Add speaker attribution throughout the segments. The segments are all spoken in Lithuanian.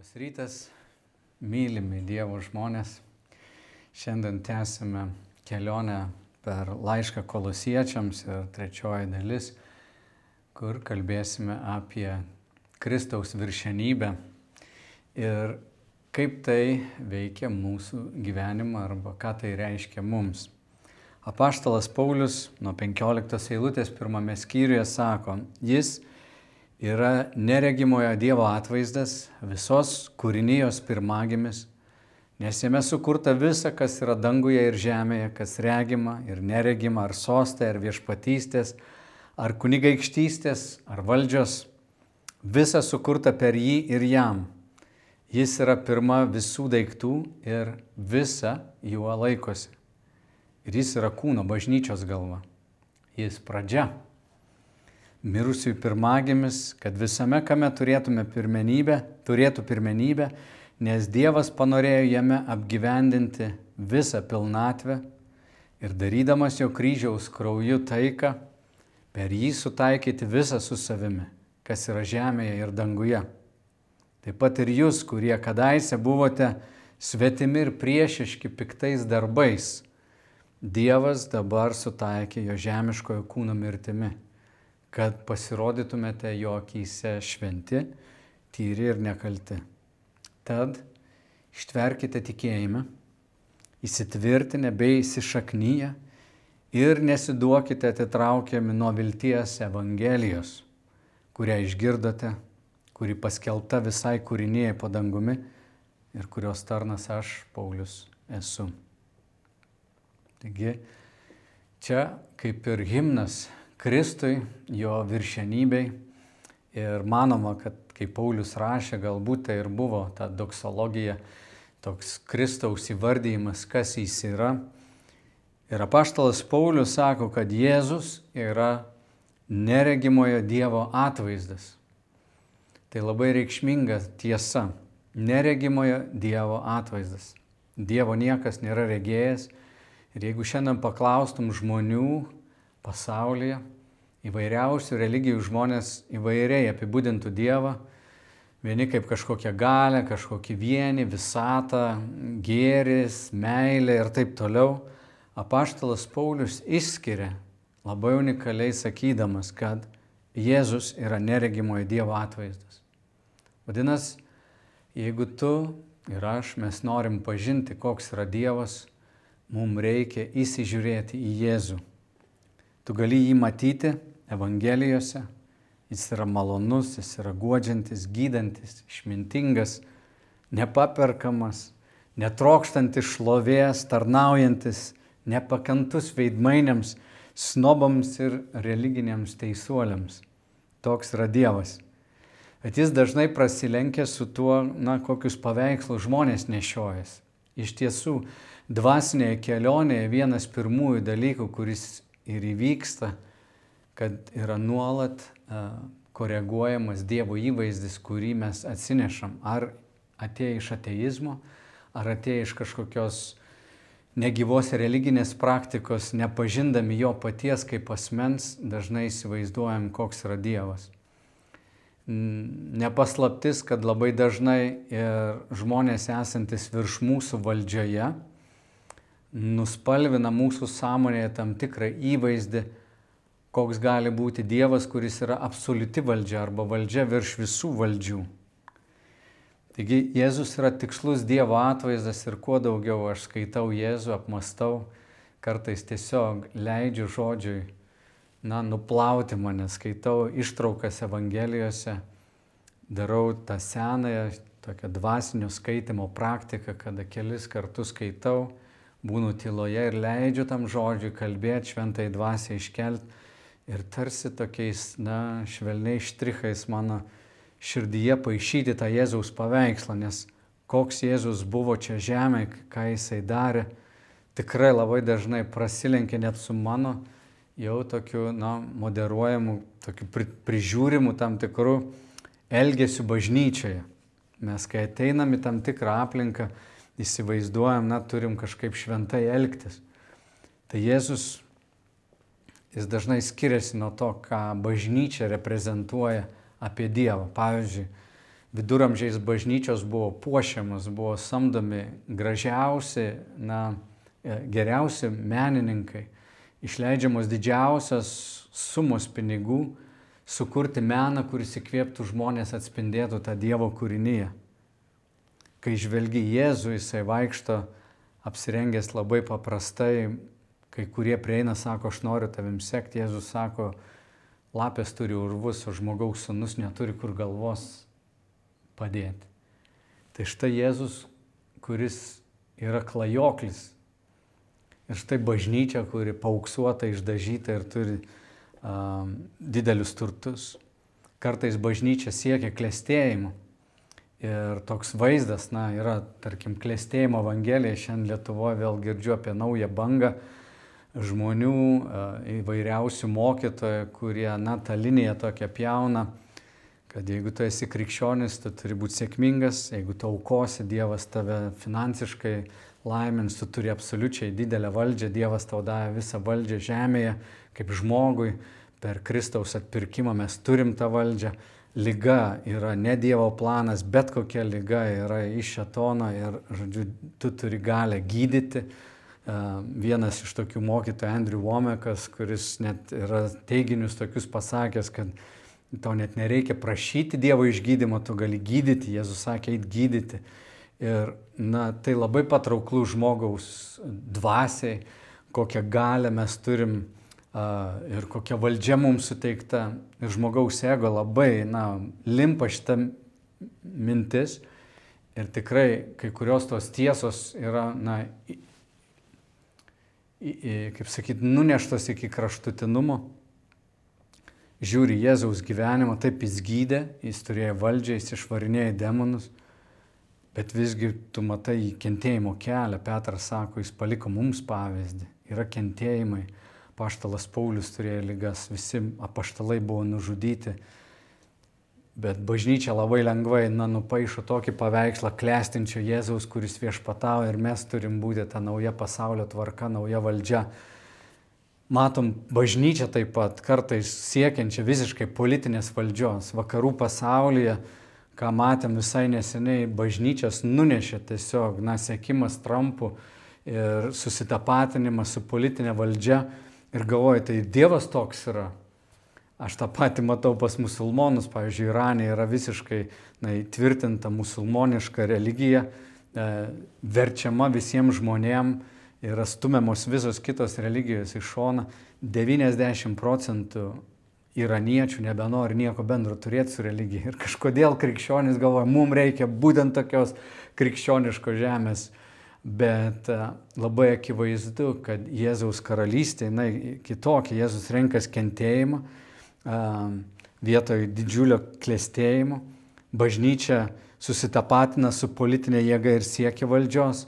Speaker 1: Labas rytas, mylimi Dievo žmonės. Šiandien tęsime kelionę per laišką Kolosiečiams ir trečioji dalis, kur kalbėsime apie Kristaus viršenybę ir kaip tai veikia mūsų gyvenimą arba ką tai reiškia mums. Apaštalas Paulius nuo 15 eilutės pirmame skyriuje sako, jis yra neregimojo Dievo atvaizdas, visos kūrinijos pirmagimis, nes jame sukurta visa, kas yra danguje ir žemėje, kas regima ir neregima, ar sostai, ar viešpatystės, ar kunigaikštystės, ar valdžios, visa sukurta per jį ir jam. Jis yra pirma visų daiktų ir visa juo laikosi. Ir jis yra kūno bažnyčios galva. Jis pradžia. Mirusiųjų pirmagimis, kad visame kame turėtų pirmenybę, nes Dievas panorėjo jame apgyvendinti visą pilnatvę ir darydamas jo kryžiaus krauju taiką, per jį sutaikyti visą su savimi, kas yra žemėje ir danguje. Taip pat ir jūs, kurie kadaise buvote svetimi ir priešiški piktais darbais, Dievas dabar sutaikė jo žemiškojo kūno mirtimi, kad pasirodytumėte jo akyse šventi, tyri ir nekalti. Tad ištverkite tikėjime, įsitvirtinę bei įsišaknyję ir nesiduokite atitraukiami nuo vilties Evangelijos, kurią išgirdote, kuri paskelbta visai kūrinijai po dangumi ir kurios tarnas aš, Paulius, esu. Taigi, čia kaip ir himnas Kristui, jo viršenybei ir manoma, kad kai Paulius rašė, galbūt tai ir buvo ta doksologija, toks Kristaus įvardyjimas, kas jis yra. Ir apaštalas Paulius sako, kad Jėzus yra neregimojo Dievo atvaizdas. Tai labai reikšminga tiesa. Neregimojo Dievo atvaizdas. Dievo niekas nėra regėjęs. Ir jeigu šiandien paklaustum žmonių pasaulyje, įvairiausių religijų žmonės įvairiai apibūdintų Dievą, vieni kaip kažkokią galią, kažkokį vienį, visatą, gėris, meilę ir taip toliau. Apaštalas Paulius išskiria labai unikaliai sakydamas, kad Jėzus yra neregimojo Dievo atvaizdas. Vadinasi, jeigu tu ir aš, mes norim pažinti, koks yra Dievas, mums reikia įsižiūrėti į Jėzų. Tu gali jį matyti Evangelijose, jis yra malonus, jis yra guodžiantis, gydantis, išmintingas, nepaperkamas, netrokštantis šlovės, tarnaujantis, nepakantus veidmainiams, snobams ir religiniams teisuoliams. Toks yra Dievas. Bet jis dažnai prasilenkia su tuo, kokius paveikslus žmonės nešiojas. Iš tiesų, dvasinėje kelionėje vienas pirmųjų dalykų, kuris ir įvyksta, kad yra nuolat koreguojamas Dievo įvaizdis, kurį mes atsinešam. Ar atėję iš ateizmo, ar atėję iš kažkokios negyvos religinės praktikos, nepažindami jo paties kaip asmens, dažnai įsivaizduojam, koks yra Dievas. Nepaslaptis, kad labai dažnai ir žmonės esantis virš mūsų valdžioje nuspalvina mūsų sąmonėje tam tikrą įvaizdį, koks gali būti Dievas, kuris yra absoliuti valdžia arba valdžia virš visų valdžių. Taigi Jėzus yra tikslus Dievo atvaizdas ir kuo daugiau aš skaitau Jėzų, apmastau, kartais tiesiog leidžiu žodžiui, nuplauti mane, skaitau ištraukas Evangelijose, darau tą senąją tokią dvasinio skaitimo praktiką, kada kelis kartus skaitau, būnu tyloje ir leidžiu tam žodžiui kalbėti, šventai dvasiai iškelti ir tarsi tokiais, švelniais štrichais mano širdyje paišyti tą Jėzaus paveikslą, nes koks Jėzus buvo čia žemėje, ką jisai darė, tikrai labai dažnai prasilenkia net su mano jau tokiu, moderuojamu, tokiu prižiūrimu tam tikrų elgesių bažnyčioje. Mes kai ateinam į tam tikrą aplinką, įsivaizduojam, turim kažkaip šventai elgtis. Tai Jėzus, jis dažnai skiriasi nuo to, ką bažnyčia reprezentuoja apie Dievą. Pavyzdžiui, viduramžiais bažnyčios buvo puošiamas, buvo samdomi gražiausi, geriausi menininkai, išleidžiamos didžiausios sumos pinigų, sukurti meną, kuris įkvėptų žmonės, atspindėtų tą Dievo kūrinyje. Kai žvelgi Jėzų, jisai vaikšto apsirengęs labai paprastai, kai kurie prieina, sako, aš noriu tavim sekti, Jėzus sako, lapės turi urvus, o žmogaus sūnus neturi kur galvos padėti. Tai štai Jėzus, kuris yra klajoklis. Ir štai bažnyčia, kuri paauksuota, išdažyta ir turi didelius turtus. Kartais bažnyčia siekia klestėjimo. Ir toks vaizdas, yra, tarkim, klestėjimo evangelija. Šiandien Lietuvoje vėl girdžiu apie naują bangą žmonių, įvairiausių mokytojų, kurie, tą liniją tokią pjauna, kad jeigu tu esi krikščionis, tu turi būti sėkmingas, jeigu tu aukosi, Dievas tave finansiškai laimins, tu turi absoliučiai didelę valdžią, Dievas tau davė visą valdžią žemėje, kaip žmogui, per Kristaus atpirkimą mes turim tą valdžią. Liga yra ne Dievo planas, bet kokia liga yra iš šėtono ir, žodžiu, tu turi galę gydyti. Vienas iš tokių mokytojų, Andrew Womakas, kuris net yra teiginius tokius pasakęs, kad tau net nereikia prašyti Dievo išgydymo, tu gali gydyti, Jėzus sakė, eit gydyti. Ir tai labai patrauklų žmogaus dvasiai, kokią galę mes turim ir kokia valdžia mums suteikta. Ir žmogaus ego labai limpa šitą mintis. Ir tikrai kai kurios tos tiesos yra, kaip sakyti, nuneštos iki kraštutinumo. Žiūri Jėzaus gyvenimą, taip jis gydė, jis turėjo valdžią, jis išvarinėjo demonus, bet visgi tu matai kentėjimo kelią. Petras sako, jis paliko mums pavyzdį. Yra kentėjimai. Apaštalas Paulius turėjo ligas, visi apaštalai buvo nužudyti. Bet bažnyčia labai lengvai nupaišo tokį paveikslą klestinčio Jėzaus, kuris viešpatauja, ir mes turim būti ta nauja pasaulio tvarka, nauja valdžia. Matom bažnyčią taip pat kartais siekiančią visiškai politinės valdžios. Vakarų pasaulyje, ką matėm visai neseniai, bažnyčias nunešė tiesiog siekimas Trumpu ir susitapatinimas su politinė valdžia. Ir galvoju, tai Dievas toks yra. Aš tą patį matau pas musulmonus, pavyzdžiui, Irane yra visiškai tvirtinta musulmoniška religija, verčiama visiems žmonėms, yra stumiamos visos kitos religijos iš šona. 90% iraniečių nebenori nieko bendro turėti su religija. Ir kažkodėl krikščionys galvoja, mums reikia būtent tokios krikščioniškos žemės. Bet labai akivaizdu, kad Jėzaus karalystė, kitokia, Jėzus renkas kentėjimą vietoj didžiulio klestėjimo. Bažnyčia susitapatina su politinė jėga ir siekia valdžios.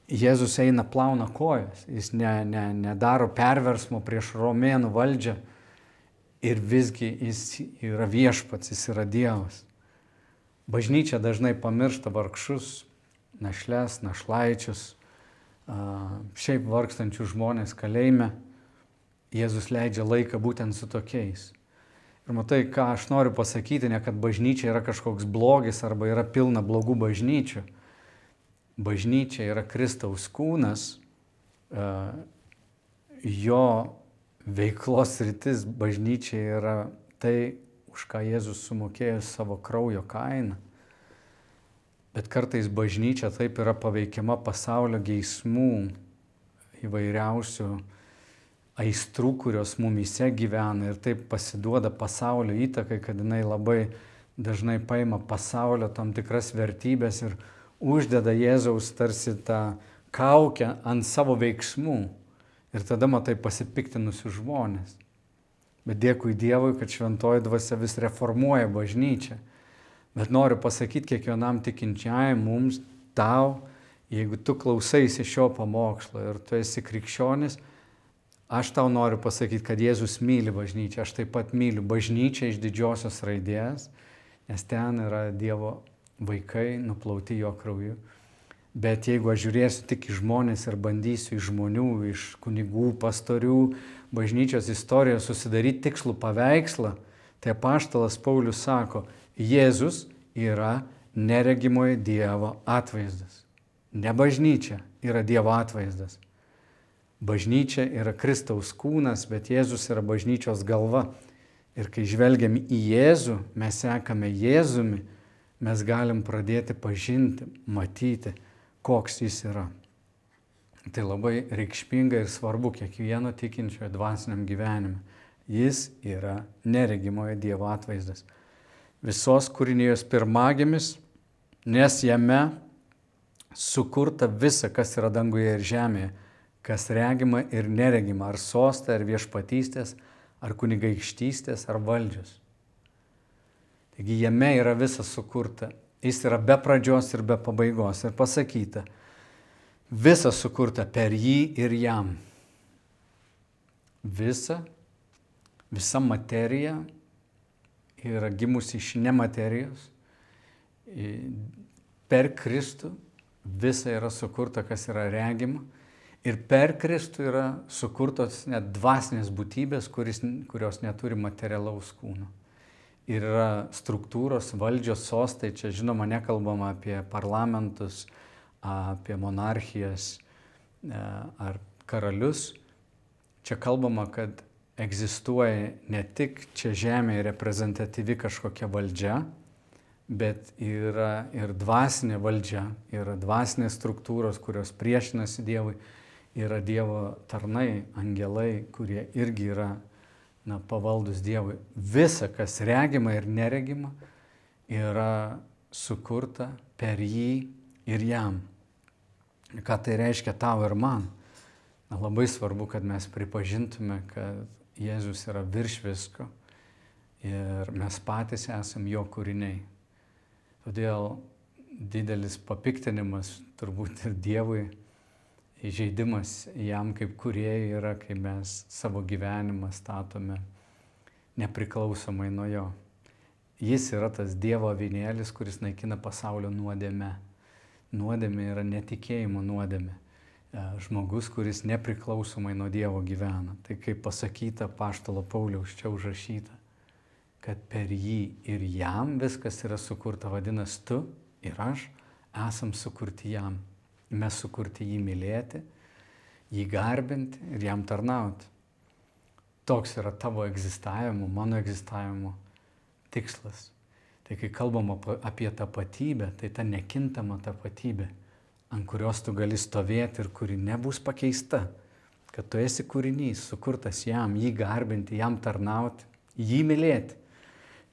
Speaker 1: Jėzus eina plauna kojas, jis nedaro perversmo prieš romėnų valdžią ir visgi jis yra viešpats, jis yra Dievas. Bažnyčia dažnai pamiršta vargšus, našles, našlaičius, šiaip vargstančių žmonės kalėjime. Jėzus leidžia laiką būtent su tokiais. Ir matai, ką aš noriu pasakyti, ne kad bažnyčia yra kažkoks blogis arba yra pilna blogų bažnyčių. Bažnyčia yra Kristaus kūnas, jo veiklos sritis bažnyčia yra tai, už ką Jėzus sumokėjo savo kraujo kainą. Bet kartais bažnyčia taip yra paveikiama pasaulio geismų, įvairiausių aistrų, kurios mumyse gyvena, ir taip pasiduoda pasaulio įtakai, kad jinai labai dažnai paima pasaulio tam tikras vertybės ir uždeda Jėzaus tarsi tą kaukę ant savo veiksmų. Ir tada matai pasipiktinusius žmonės. Bet dėkui Dievui, kad šventoji dvasia vis reformuoja bažnyčią. Bet noriu pasakyti kiekvienam tikinčiajam, mums, tau, jeigu tu klausaisi šio pamokslo ir tu esi krikščionis, aš tau noriu pasakyti, kad Jėzus myli bažnyčią. Aš taip pat myliu bažnyčią iš didžiosios raidės, nes ten yra Dievo vaikai nuplauti jo krauju. Bet jeigu aš žiūrėsiu tik į žmonės ir bandysiu iš žmonių, iš kunigų, pastorių, bažnyčios istorijos susidaryti tikslų paveikslą, tai apaštalas Paulius sako, Jėzus yra neregimojo Dievo atvaizdas. Ne bažnyčia yra Dievo atvaizdas. Bažnyčia yra Kristaus kūnas, bet Jėzus yra bažnyčios galva. Ir kai žvelgiam į Jėzų, mes sekame Jėzumi, mes galim pradėti pažinti, matyti, koks jis yra. Tai labai reikšminga ir svarbu kiekvieno tikinčiojo dvasiniam gyvenime. Jis yra neregimojo Dievo atvaizdas. Visos kūrinijos pirmagimis, nes jame sukurta visa, kas yra danguje ir žemėje, kas regima ir neregima, ar sostai, ar viešpatystės, ar kunigaikštystės, ar valdžios. Taigi jame yra visa sukurta. Jis yra be pradžios ir be pabaigos. Ir pasakyta, visa sukurta per jį ir jam. Visa materija yra gimusi iš nematerijos. Per Kristų visa yra sukurta, kas yra regima. Ir per Kristų yra sukurtos net dvasinės būtybės, kurios neturi materialaus kūno. Ir yra struktūros, valdžios, sostai, čia žinoma nekalbama apie parlamentus, apie monarchijas ar karalius. Čia kalbama, kad egzistuoja ne tik čia žemėje reprezentatyvi kažkokia valdžia, bet yra ir dvasinė valdžia, yra dvasinės struktūros, kurios priešinasi Dievui, yra Dievo tarnai, angelai, kurie irgi yra pavaldus Dievui. Visa, kas regima ir neregima, yra sukurta per jį ir jam. Ką tai reiškia tau ir man? Labai svarbu, kad mes pripažintume, kad Jėzus yra virš visko ir mes patys esam jo kūriniai. Todėl didelis papiktinimas turbūt ir Dievui, įžeidimas jam kaip kūrėjui yra, kai mes savo gyvenimą statome nepriklausomai nuo jo. Jis yra tas Dievo avinėlis, kuris naikina pasaulio nuodėmę. Nuodėmė yra netikėjimo nuodėmė. Žmogus, kuris nepriklausomai nuo Dievo gyvena. Tai kaip pasakyta apaštalo Pauliaus čia užrašyta, kad per jį ir jam viskas yra sukurta, vadinasi tu ir aš esam sukurti jam. Mes sukurti jį mylėti, jį garbinti ir jam tarnauti. Toks yra tavo egzistavimo, mano egzistavimo tikslas. Tai kai kalbam apie tapatybę, tai ta nekintama tapatybė, ant kurios tu gali stovėti ir kuri nebus pakeista. Kad tu esi kūrinys, sukurtas jam, jį garbinti, jam tarnauti, jį mylėti.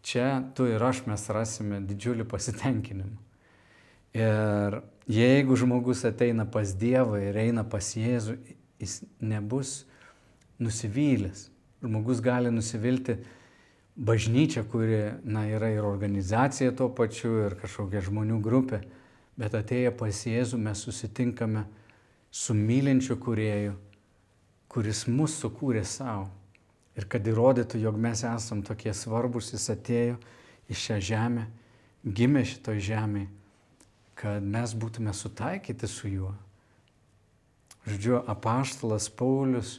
Speaker 1: Čia tu ir aš mes rasime didžiulį pasitenkinimą. Ir jeigu žmogus ateina pas Dievą ir eina pas Jėzų, jis nebus nusivylęs. Žmogus gali nusivilti bažnyčia, kuri yra ir organizacija tuo pačiu, ir kažkokia žmonių grupė. Bet atėję pas Jėzų mes susitinkame su mylinčiu kūrėju, kuris mus sukūrė savo. Ir kad įrodytų, jog mes esam tokie svarbus, jis atėjo į šią žemę, gimė šitoj žemėje, kad mes būtume sutaikyti su juo. Žodžiu, apaštalas Paulius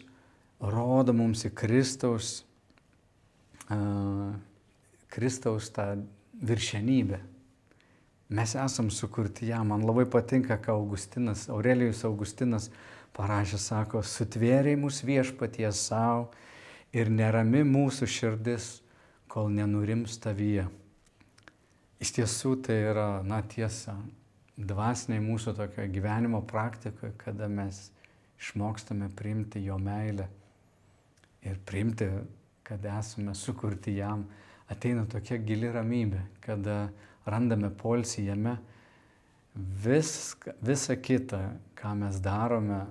Speaker 1: rodo mums į Kristaus tą viršenybę. Mes esam sukurti jam. Man labai patinka, ką Aurelijus Augustinas parašė, sako, sutvėrė mus viešpaties savo ir nerami mūsų širdis, kol nenurims tavyje. Iš tiesų tai yra, tiesa. Dvasiniai mūsų tokio gyvenimo praktikoje, kada mes išmokstame priimti jo meilę ir priimti, kad esame sukurti jam, ateina tokia gili ramybė, kada randame poilsį jame. Visa kita, ką mes darome,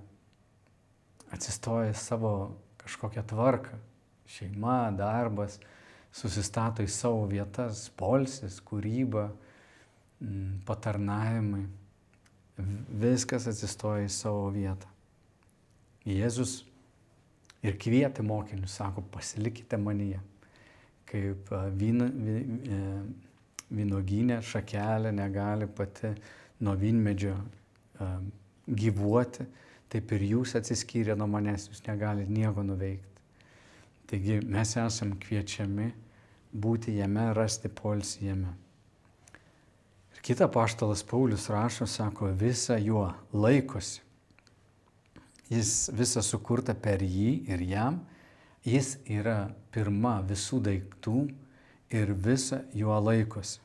Speaker 1: atsistoja savo kažkokią tvarką. Šeima, darbas, susistato į savo vietas, poilsis, kūryba, patarnavimai, viskas atsistoja į savo vietą. Jėzus ir kvietė mokinius, sako, pasilikite manyje. Kaip vynuogynė šakelė negali pati nuo vynmedžio gyvuoti, taip ir jūs atsiskyrę nuo manęs, jūs negalite nieko nuveikti. Taigi mes esam kviečiami būti jame, rasti poilsį jame. Kita apaštalas Paulius rašo, sako, visa juo laikosi. Jis visa sukurta per jį ir jam. Jis yra pirma visų daiktų ir visa juo laikosi.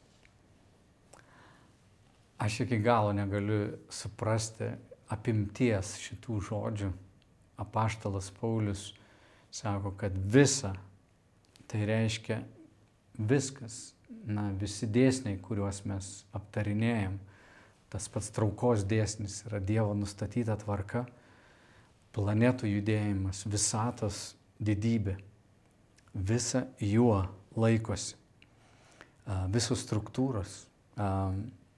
Speaker 1: Aš iki galo negaliu suprasti apimties šitų žodžių. Apaštalas Paulius sako, kad visa, tai reiškia viskas, visi dėsniai, kuriuos mes aptarinėjom. Tas pats traukos dėsnis yra Dievo nustatyta tvarka, planetų judėjimas, visatos didybė. Visa juo laikosi. Visos struktūros,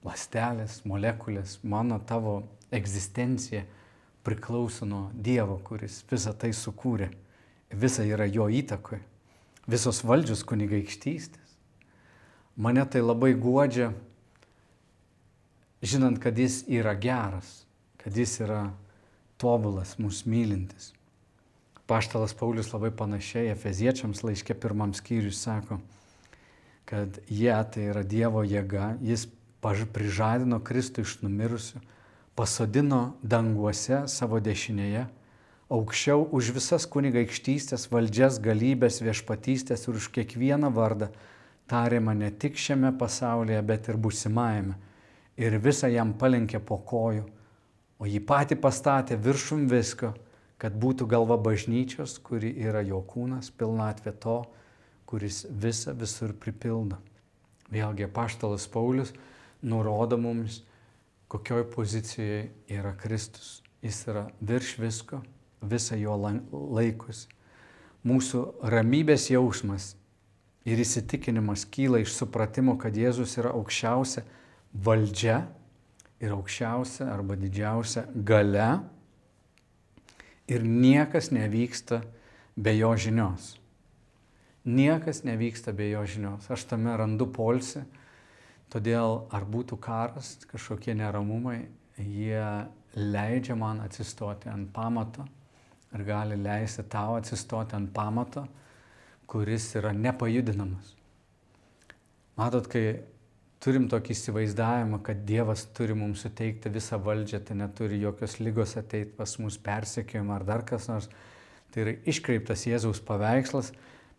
Speaker 1: ląstelės, molekulės, mano tavo egzistencija priklauso nuo Dievo, kuris visą tai sukūrė. Visa yra jo įtakoje. Visos valdžios kunigaikštystės. Mane tai labai guodžia, žinant, kad jis yra geras, kad jis yra tobulas, mus mylintis. Apaštalas Paulius labai panašiai Efeziečiams laiške 1 skyriui sako, kad jie, tai yra Dievo jėga, jis prižadino Kristų iš numirusių, pasodino danguose savo dešinėje, aukščiau už visas kunigaikštystės, valdžias, galybės, viešpatystės ir už kiekvieną vardą tariama ne tik šiame pasaulyje, bet ir būsimajame. Ir visą jam palenkė po kojų, o jį patį pastatė viršum visko, kad būtų galva bažnyčios, kuri yra jo kūnas, pilnatvė to, kuris visą visur pripildo. Vėlgi apaštalas Paulius nurodo mums, kokioj pozicijoje yra Kristus. Jis yra virš visko, visą jo laikosi. Mūsų ramybės jausmas ir įsitikinimas kyla iš supratimo, kad Jėzus yra aukščiausia valdžia ir aukščiausia arba didžiausia galia ir niekas nevyksta be jo žinios. Niekas nevyksta be jo žinios. Aš tame randu poilsį, todėl ar būtų karas, kažkokie neramumai, jie leidžia man atsistoti ant pamato ir gali leisti tau atsistoti ant pamato, kuris yra nepajudinamas. Matot, kai turim tokį įsivaizdavimą, kad Dievas turi mums suteikti visą valdžią, tai neturi jokios lygos ateiti pas mus persekiojimą ar dar kas nors, tai yra iškreiptas Jėzaus paveikslas.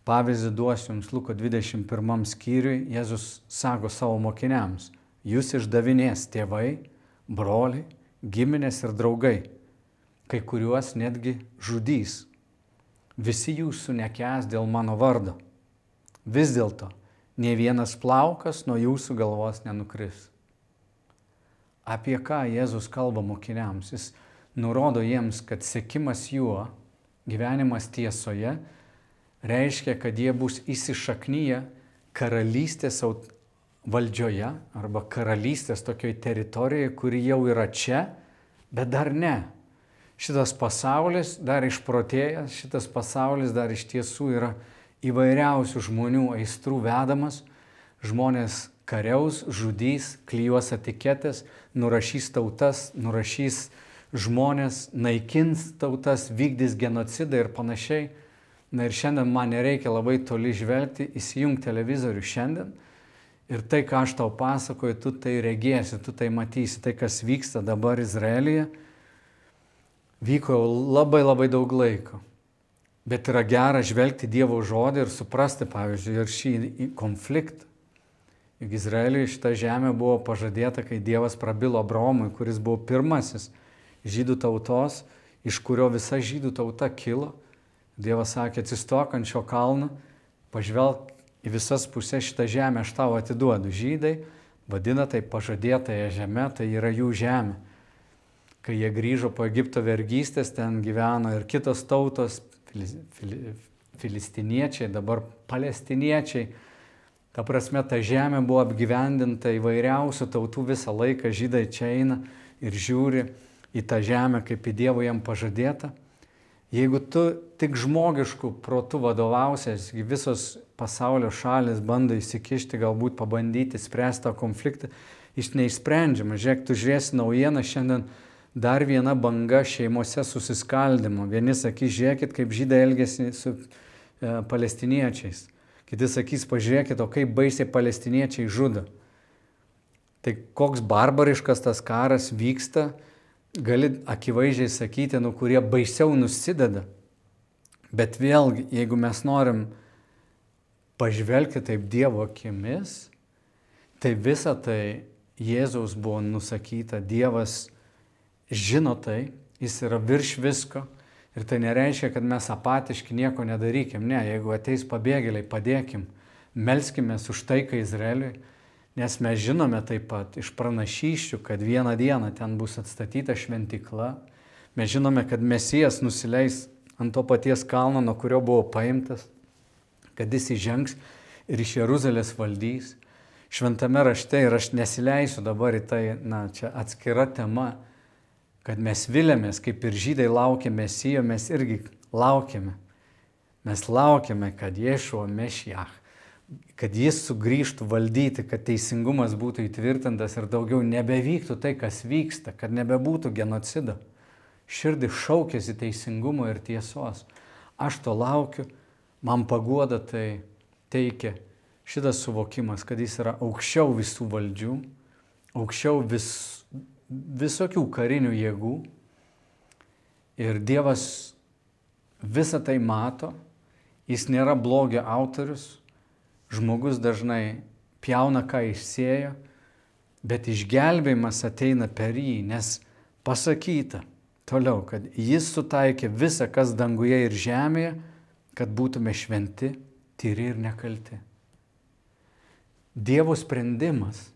Speaker 1: Pavyzdį duosiu jums Luko 21 skyriui, Jėzus sako savo mokiniams, jūs išdavinės tėvai, broliai, giminės ir draugai, kai kuriuos netgi žudys. Visi jūsų nekęs dėl mano vardo. Vis dėlto, nė vienas plaukas nuo jūsų galvos nenukris. Apie ką Jėzus kalba mokiniams? Jis nurodo jiems, kad sekimas juo, gyvenimas tiesoje, reiškia, kad jie bus įsišaknyję karalystės valdžioje arba karalystės tokioj teritorijoje, kuri jau yra čia, bet dar ne. Šitas pasaulis dar išprotėjęs, šitas pasaulis dar iš tiesų yra įvairiausių žmonių aistrų vedamas. Žmonės kariaus, žudys, klijuos etiketės, nurašys tautas, nurašys žmonės, naikins tautas, vykdys genocidą ir panašiai. Na ir šiandien man nereikia labai toli žvelgti, įsijung televizorių šiandien ir tai, ką aš tau pasakoju, tu tai regėsi, tu tai matysi. Tai, kas vyksta dabar Izraelyje, vyko labai labai daug laiko. Bet yra gera žvelgti Dievo žodį ir suprasti, pavyzdžiui, ir šį konfliktą. Juk Izraeliui šita žemė buvo pažadėta, kai Dievas prabilo Abraomui, kuris buvo pirmasis žydų tautos, iš kurio visa žydų tauta kilo. Dievas sakė, atsistok ant šio kalno, pažvelk į visas pusės, šitą žemę aš tau atiduodu. Žydai vadina tai pažadėtąją žemę, tai yra jų žemė. Kai jie grįžo po Egipto vergystės, ten gyveno ir kitos tautos, filistiniečiai, dabar palestiniečiai. Ta prasme, ta žemė buvo apgyvendinta įvairiausių tautų visą laiką. Žydai čia eina ir žiūri į tą žemę, kaip į Dievo jam pažadėtą. Jeigu tu tik žmogiškų protų vadovausies, visos pasaulio šalis bando įsikišti, galbūt pabandyti spręsti tą konfliktą, jis neišsprendžiamas. Žiūrėk, tu žiūrėsi naujieną, šiandien dar viena banga šeimose susiskaldimo. Vieni sakys, žiūrėkit, kaip žydai elgiasi su palestiniečiais. Kiti sakys, pažiūrėkit, o kaip baisiai palestiniečiai žudo. Tai koks barbariškas tas karas vyksta, gali akivaizdžiai sakyti, kurie baisiau nusideda. Bet vėlgi, jeigu mes norim pažvelgti taip Dievo akimis, tai visa tai Jėzaus buvo nusakyta. Dievas žino tai, jis yra virš visko. Ir tai nereiškia, kad mes apatiški nieko nedarykim. Ne, jeigu ateis pabėgėliai, padėkim, melskimės už taiką Izraeliui, nes mes žinome taip pat iš pranašysčių, kad vieną dieną ten bus atstatyta šventykla. Mes žinome, kad Mesijas nusileis ant to paties kalno, nuo kurio buvo paimtas, kad jis įžengs ir iš Jeruzalės valdys. Šventame rašte, ir aš nesileisiu dabar į tai, čia atskira tema, kad mes vilėmės, kaip ir žydai laukė Mesijo, mes irgi laukiame. Mes laukiame, kad Ješua Mešiach, kad jis sugrįžtų valdyti, kad teisingumas būtų įtvirtintas ir daugiau nebevyktų tai, kas vyksta, kad nebebūtų genocido. Širdis šaukėsi teisingumo ir tiesos. Aš to laukiu, man paguoda tai teikia šitas suvokimas, kad jis yra aukščiau visų valdžių, aukščiau visokių karinių jėgų. Ir Dievas visą tai mato, jis nėra blogio autorius, žmogus dažnai pjauna, ką išsėjo, bet išgelbėjimas ateina per jį, nes pasakyta toliau, kad jis sutaikė visą, kas danguje ir žemėje, kad būtume šventi, tyri ir nekalti. Dievo sprendimas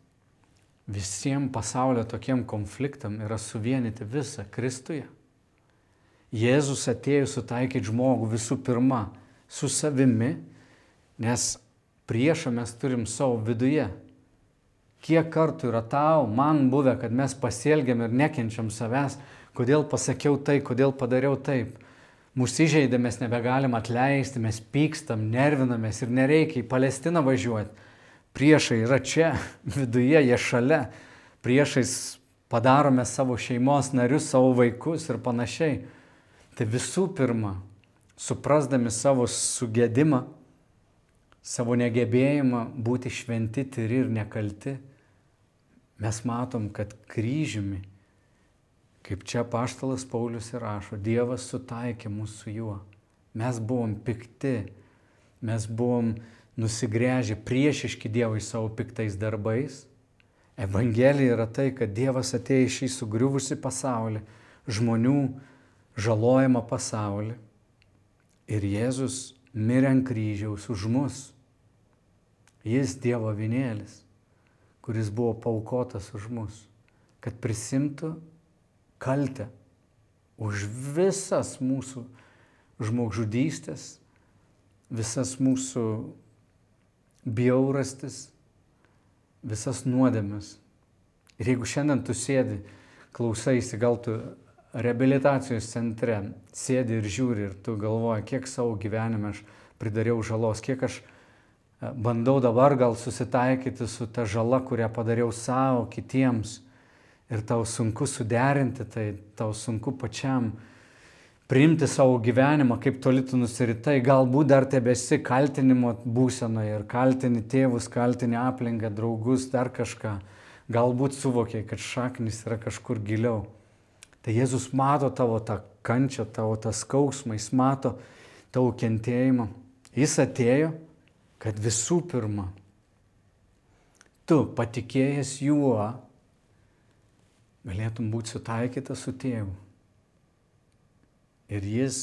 Speaker 1: visiems pasaulio tokiem konfliktam yra suvienyti visą Kristuje. Jėzus atėjo sutaikyti žmogų visų pirma su savimi, nes priešą mes turim savo viduje. Kiek kartų yra tau, man buvę, kad mes pasielgiam ir nekenčiam savęs, kodėl pasakiau tai, kodėl padariau taip. Mūsų įžeidė, mes nebegalim atleisti, mes pykstam, nervinamės ir nereikia į Palestiną važiuoti. Priešai yra čia, viduje, jie šalia. Priešais padarome savo šeimos narius, savo vaikus ir panašiai. Tai visų pirma, suprasdami savo sugedimą, savo negebėjimą būti šventi, tyri ir nekalti, mes matom, kad kryžiumi, kaip čia apaštalas Paulius ir rašo, Dievas sutaikė mus su juo. Mes buvom pikti, mes buvom nusigręžę priešiški Dievui savo piktais darbais. Evangelija yra tai, kad Dievas atėjo į šį sugriuvusi pasaulį, žmonių žalojamą pasaulį. Ir Jėzus mirė ant kryžiaus už mus. Jis Dievo avinėlis, kuris buvo paaukotas už mus, kad prisimtų kaltę už visas mūsų žmogžudystės, visas mūsų bjaurastis, visas nuodėmes. Ir jeigu šiandien tu sėdi, klausaisi, gal tu reabilitacijos centre sėdi ir žiūri ir tu galvoji, kiek savo gyvenime aš pridariau žalos, kiek aš bandau dabar gal susitaikyti su ta žala, kurią padariau savo, kitiems. Ir tau sunku suderinti, tai tau sunku pačiam priimti savo gyvenimą, kaip toli tu nusiritai, galbūt dar tebesi kaltinimo būsenoje ir kaltini tėvus, kaltini aplinką, draugus, dar kažką. Galbūt suvokiai, kad šaknis yra kažkur giliau. Tai Jėzus mato tavo tą kančią, tavo tą skausmą, jis mato tavo kentėjimą. Jis atėjo, kad visų pirma, tu patikėjęs juo, galėtum būti sutaikytas su tėvu. Ir jis,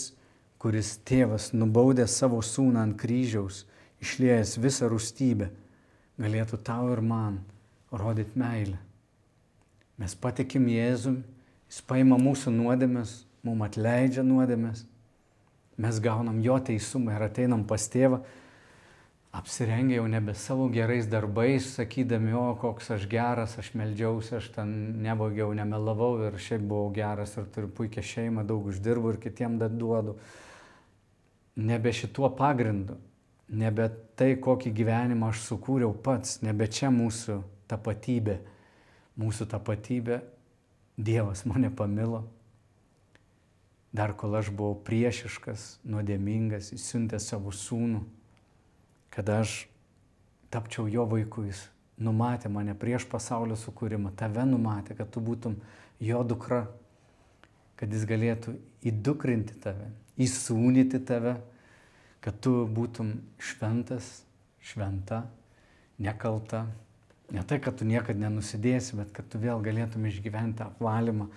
Speaker 1: kuris tėvas nubaudė savo sūną ant kryžiaus, išliejęs visą rūstybę, galėtų tau ir man rodyti meilę. Mes patikim Jėzum, jis paima mūsų nuodėmes, mums atleidžia nuodėmes, mes gaunam jo teisumą ir ateinam pas tėvą, apsirengę jau nebe savo gerais darbais, sakydami, o koks aš geras, aš meldžiausi, aš ten nevogiau, nemelavau ir šiaip buvau geras ir turiu puikią šeimą, daug uždirbu ir kitiem duodu. Nebe šituo pagrindu, nebe tai, kokį gyvenimą aš sukūriau pats, nebe čia mūsų tapatybė. Mūsų tapatybė, Dievas mane pamilo. Dar kol aš buvau priešiškas, nuodėmingas, jis siuntė savo sūnų, kad aš tapčiau jo vaiku, jis numatė mane prieš pasaulio sukūrimą, tave numatė, kad tu būtum jo dukra, kad jis galėtų įdukrinti tave, įsūnyti tave, kad tu būtum šventas, šventa, nekalta. Ne tai, kad tu niekada nenusidėsi, bet kad tu vėl galėtum išgyventi apvalymą.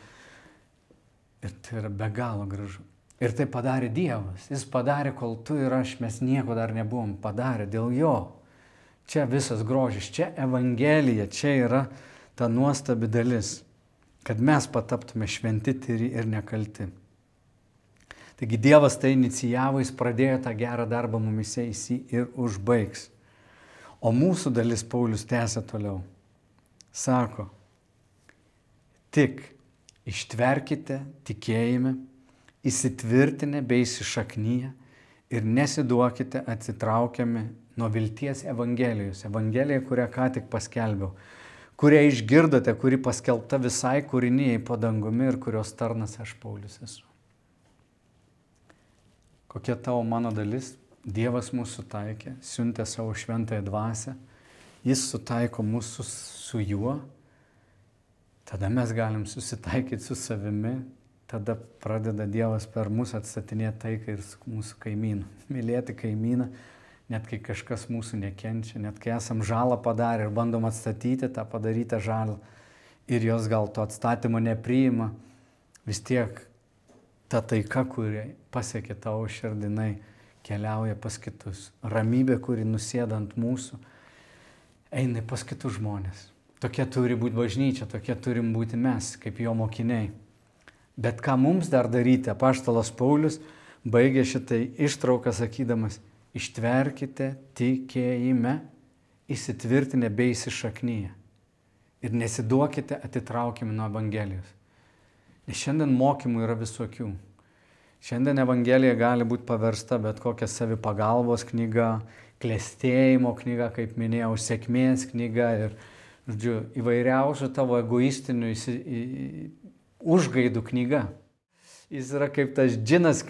Speaker 1: Ir tai yra be galo gražu. Ir tai padarė Dievas. Jis padarė, kol tu ir aš, mes nieko dar nebuvom padarę dėl jo. Čia visas grožis, čia Evangelija, čia yra ta nuostabi dalis, kad mes pataptume šventi, tyri ir nekalti. Taigi Dievas tai inicijavo, jis pradėjo tą gerą darbą mumise, jis jį ir užbaigs. O mūsų dalis Paulius tęsia toliau. Sako, tik ištverkite tikėjime, įsitvirtinę bei įsišaknyję ir nesiduokite atsitraukiami nuo vilties Evangelijos. Evangelija, kurią ką tik paskelbiau, kurią išgirdote, kuri paskelbta visai kūrinijai po dangumi ir kurios tarnas aš Paulius esu. Kokia tavo mano dalis? Dievas mūsų sutaikė, siuntė savo šventąją dvasią, jis sutaiko mūsų su juo, tada mes galim susitaikyti su savimi, tada pradeda Dievas per mūsų atstatinėti taiką ir su mūsų kaimynu. Mylėti kaimyną, net kai kažkas mūsų nekenčia, net kai esam žalą padarę ir bandom atstatyti tą padarytą žalą ir jos gal to atstatymo nepriima, vis tiek ta taika, kuri pasiekė tavo širdinai, keliauja pas kitus. Ramybė, kuri nusėda ant mūsų, eina pas kitus žmonės. Tokia turi būti bažnyčia, tokie turim būti mes, kaip jo mokiniai. Bet ką mums dar daryti? Apaštalas Paulius baigė šitai ištrauką sakydamas, ištverkite tikėjime, įsitvirtinę bei įsišaknyję. Ir nesiduokite atitraukiami nuo Evangelijos. Nes šiandien mokymų yra visokių. Šiandien Evangelija gali būti paversta bet kokia savipagalbos knyga, klestėjimo knyga, kaip minėjau, sėkmės knyga ir, žodžiu, įvairiausių tavo egoistinių užgaidų knyga. Jis yra kaip tas džinas,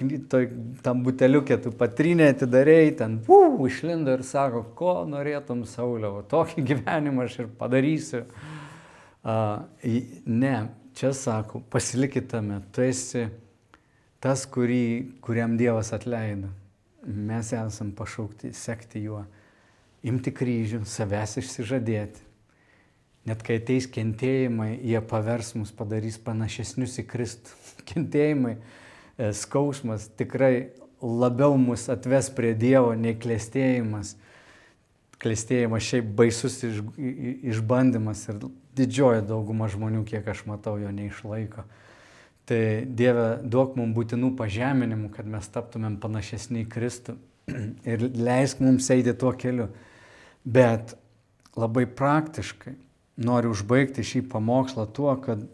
Speaker 1: tam buteliukė, tu patrinė atidarėjai, ten išlindo ir sako, ko norėtum, Sauliau, tokį gyvenimą aš ir padarysiu. Ne, čia sako, pasilikit tame, tu esi tas, kuriam Dievas atleido. Mes esam pašaukti sekti juo, imti kryžių, savęs išsižadėti. Net kai ateis kentėjimai, jie pavers mus, padarys panašesnius į Kristų. Kentėjimai, skausmas tikrai labiau mus atves prie Dievo nei klestėjimas. Klestėjimas šiaip baisus išbandymas ir didžioji dauguma žmonių, kiek aš matau, jo neišlaiko. Tai Dieve, duok mums būtinų pažeminimų, kad mes taptumėm panašesni į Kristų ir leisk mums eiti tuo keliu. Bet labai praktiškai noriu užbaigti šį pamokslą tuo, kad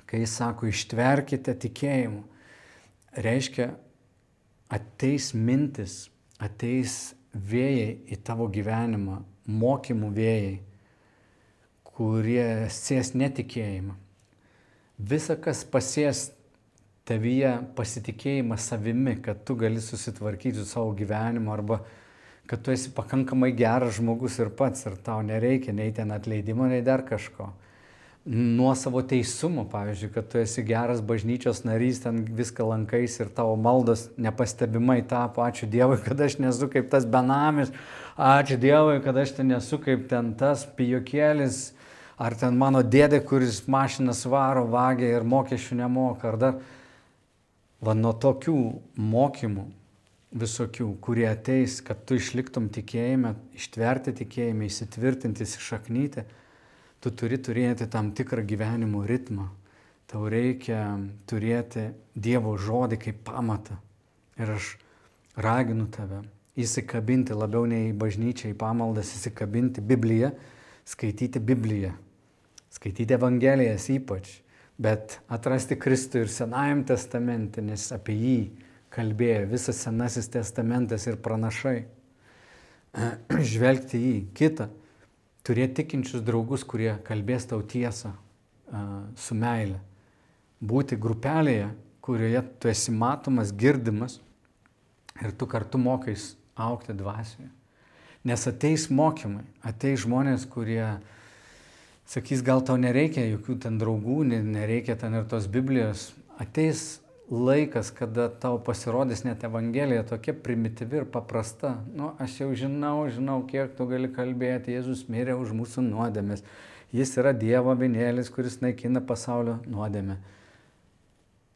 Speaker 1: kai jis sako, ištverkite tikėjimu, reiškia, ateis mintis, ateis vėjai į tavo gyvenimą, mokymų vėjai, kurie sės netikėjimą. Visa, kas pasės tavyje pasitikėjimą savimi, kad tu gali susitvarkyti su savo gyvenimu arba kad tu esi pakankamai geras žmogus ir pats ir tau nereikia nei ten atleidimo, nei dar kažko. Nuo savo teisumo, pavyzdžiui, kad tu esi geras bažnyčios narys, ten viską lankais ir tavo maldos nepastebimai tapo, ačiū Dievui, kad aš nesu kaip tas benamis, ačiū Dievui, kad aš ten nesu kaip ten tas pijokėlis, ar ten mano dėdė, kuris mašinas varo, vagia ir mokesčių nemoka, ar dar. Va nuo tokių mokymų visokių, kurie ateis, kad tu išliktum tikėjime, ištverti tikėjime, įsitvirtinti, įsišaknyti, tu turi turėti tam tikrą gyvenimo ritmą. Tau reikia turėti Dievo žodį kaip pamatą. Ir aš raginu tave įsikabinti labiau nei į bažnyčią, į pamaldas, įsikabinti Bibliją, skaityti Bibliją, skaityti Evangelijas ypač, bet atrasti Kristų ir Senajam testamente, nes apie jį kalbėjo visas Senasis testamentas ir pranašai. Žvelgti į jį. Kita, turėti tikinčius draugus, kurie kalbės tau tiesą su meile. Būti grupelėje, kurioje tu esi matomas, girdimas ir tu kartu mokais augti dvasioje. Nes ateis mokymai, ateis žmonės, kurie sakys, gal tau nereikia jokių ten draugų, nereikia ten ir tos Biblijos. Ateis laikas, kada tau pasirodys net Evangelija tokia primityvi ir paprasta. Nu, aš jau žinau, kiek tu gali kalbėti. Jėzus mirė už mūsų nuodėmes. Jis yra Dievo avinėlis, kuris naikina pasaulio nuodėmę.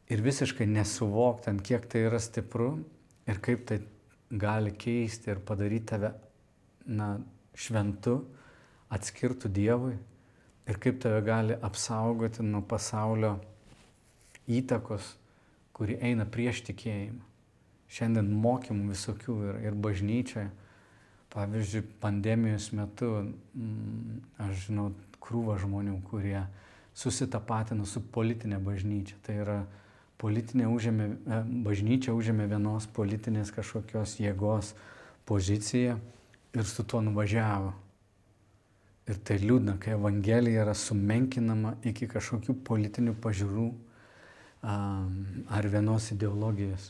Speaker 1: Ir visiškai nesuvoktant, kiek tai yra stipru ir kaip tai gali keisti ir padaryti tave šventu, atskirtų Dievui ir kaip tave gali apsaugoti nuo pasaulio įtakos, kuri eina prieš tikėjimą. Šiandien mokymų visokių ir bažnyčioje. Pavyzdžiui, pandemijos metu aš žinau krūvą žmonių, kurie susitapatino su politinė bažnyčia. Tai yra bažnyčia užėmė vienos politinės kažkokios jėgos poziciją ir su tuo nuvažiavo. Ir tai liūdna, kai Evangelija yra sumenkinama iki kažkokių politinių pažiūrų ar vienos ideologijos.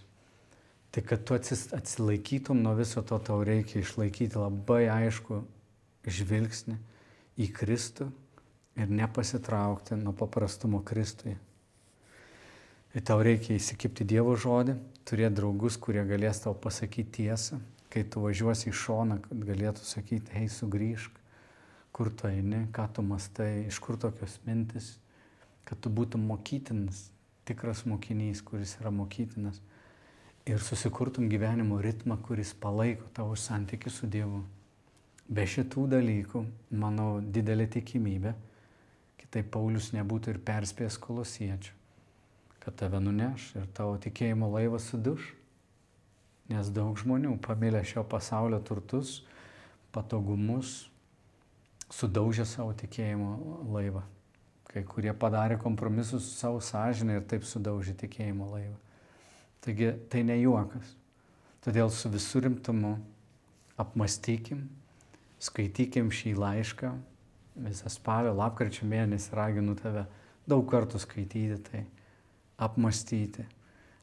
Speaker 1: Tai kad tu atsilaikytum nuo viso to, tau reikia išlaikyti labai aišku žvilgsnį į Kristų ir nepasitraukti nuo paprastumo Kristuje. Ir tau reikia įsikibti Dievo žodį, turėti draugus, kurie galės tau pasakyti tiesą, kai tu važiuosi į šoną, kad galėtų sakyti, hei, sugrįžk, kur tu eini, ką tu mastai, iš kur tokios mintis, kad tu būtum mokytinas, tikras mokinys, kuris yra mokytinas ir susikurtum gyvenimo ritmą, kuris palaiko tavo santykį su Dievu. Be šitų dalykų, manau, didelė tikimybė, kitaip Paulius nebūtų ir perspėjęs kolosiečių, kad tave nuneš ir tavo tikėjimo laivas suduš, nes daug žmonių pamilę šio pasaulio turtus, patogumus, sudaužė savo tikėjimo laivą. Kai kurie padarė kompromisus su savo sąžinę ir taip sudaužė tikėjimo laivą. Taigi tai ne juokas. Todėl su visų rimtumu apmąstykim, skaitykim šį laišką. Visą spalio, lapkričio mėnesį raginu tave daug kartų skaityti tai, apmąstyti.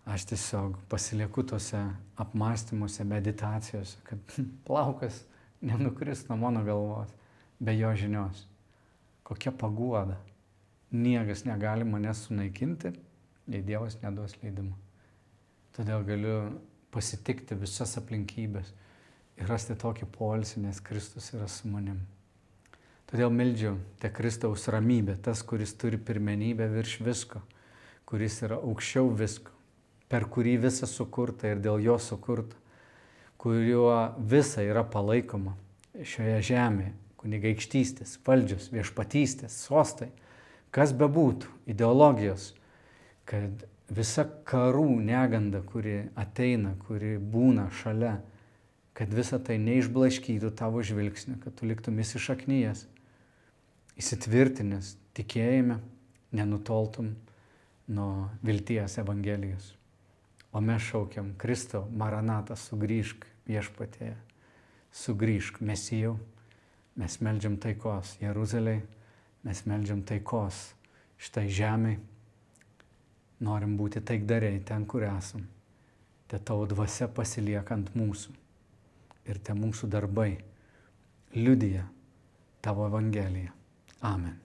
Speaker 1: Aš tiesiog pasilieku tose apmąstymuose, meditacijose, kad plaukas nenukris nuo mano galvos be jo žinios. Kokia paguoda. Niekas negali manęs sunaikinti, jei Dievas neduos leidimo. Todėl galiu pasitikti visas aplinkybės ir rasti tokį poilsį, nes Kristus yra su manim. Todėl meldžiu, te Kristaus ramybė, tas, kuris turi pirmenybę virš visko, kuris yra aukščiau visko, per kurį visa sukurta ir dėl jo sukurta, kuriuo visa yra palaikoma šioje žemėje, kunigaikštystės, valdžios, viešpatystės, sostai, kas bebūtų, ideologijos, kad visa karų neganda, kuri ateina, kuri būna šalia, kad visa tai neišblaškytų tavo žvilgsnį, kad tu liktum įsišaknyjęs, įsitvirtinęs tikėjime, nenutoltum nuo vilties Evangelijos. O mes šaukiam, Kristau, Maranatą, sugrįžk viešpatie, sugrįžk Mesijau. Mes meldžiam taikos Jeruzalei, mes meldžiam taikos šitai žemei. Norim būti taikdariai ten, kur esam. Te tavo dvasia pasilieka ant mūsų. Ir te mūsų darbai liudija tavo Evangeliją. Amen.